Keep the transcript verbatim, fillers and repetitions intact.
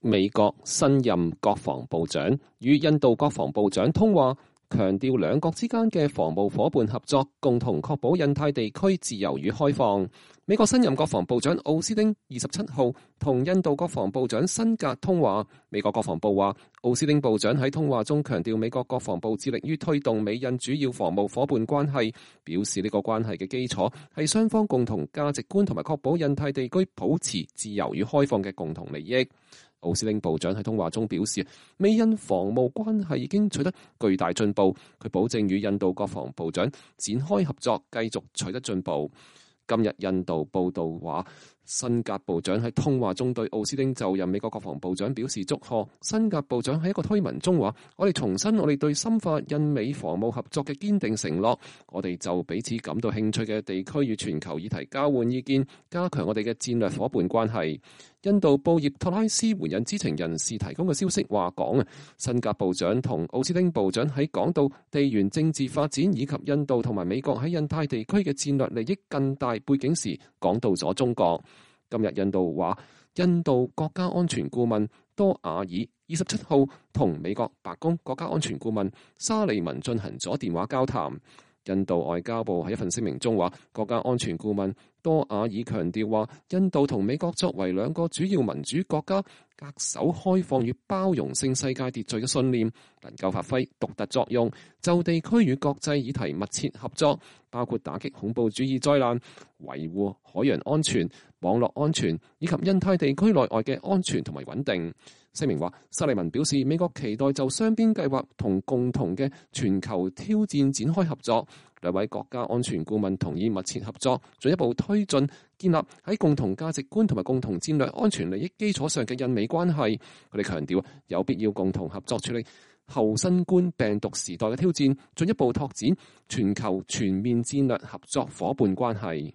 美國新任國防部長與印度國防部長通話，強調兩國之間嘅防務夥伴合作，共同確保印太地區自由與開放。美國新任國防部長奧斯汀二十七號同印度國防部長辛格通話。美國國防部話，奧斯汀部長喺通話中強調美國國防部致力於推動美印主要防務夥伴關係，表示呢個關係嘅基礎係雙方共同價值觀同埋確保印太地區保持自由與開放嘅共同利益。奧斯汀部長喺通話中表示，美印防務關係已經取得巨大進步，佢保證與印度國防部長展開合作，繼續取得進步。今日印度報道話，辛格部長喺通話中對奧斯汀就任美國國防部長表示祝賀。辛格部長喺一個推文中話，我哋重申我哋對深化印美防務合作嘅堅定承諾，我哋就彼此感到興趣嘅地區與全球議題交換意見，加強我哋嘅戰略夥伴關係。印度報業托拉斯援引知情人士提供嘅消息話講啊，辛格部長同奧斯汀部長喺講到地緣政治發展以及印度同埋美國喺印太地區嘅戰略利益更大背景時，講到咗中國。今日印度話，印度國家安全顧問多瓦爾二十七號同美國白宮國家安全顧問沙利文進行咗電話交談。印度外交部喺一份聲明中話，國家安全顧問多瓦爾強調話，印度同美國作為兩個主要民主國家，恪守開放與包容性世界秩序嘅信念，能夠發揮獨特作用，就地區與國際議題密切合作，包括打擊恐怖主義災難、維護海洋安全、網絡安全以及印太地區內外嘅安全同埋穩定。聲明話，沙利文表示，美國期待就雙邊計劃同共同嘅全球挑戰展開合作。兩位國家安全顧問同意密切合作，進一步推進建立喺共同價值觀同埋共同戰略安全利益基礎上嘅印美關係。佢哋強調有必要共同合作處理後新冠病毒時代嘅挑戰，進一步拓展全球全面戰略合作夥伴關係。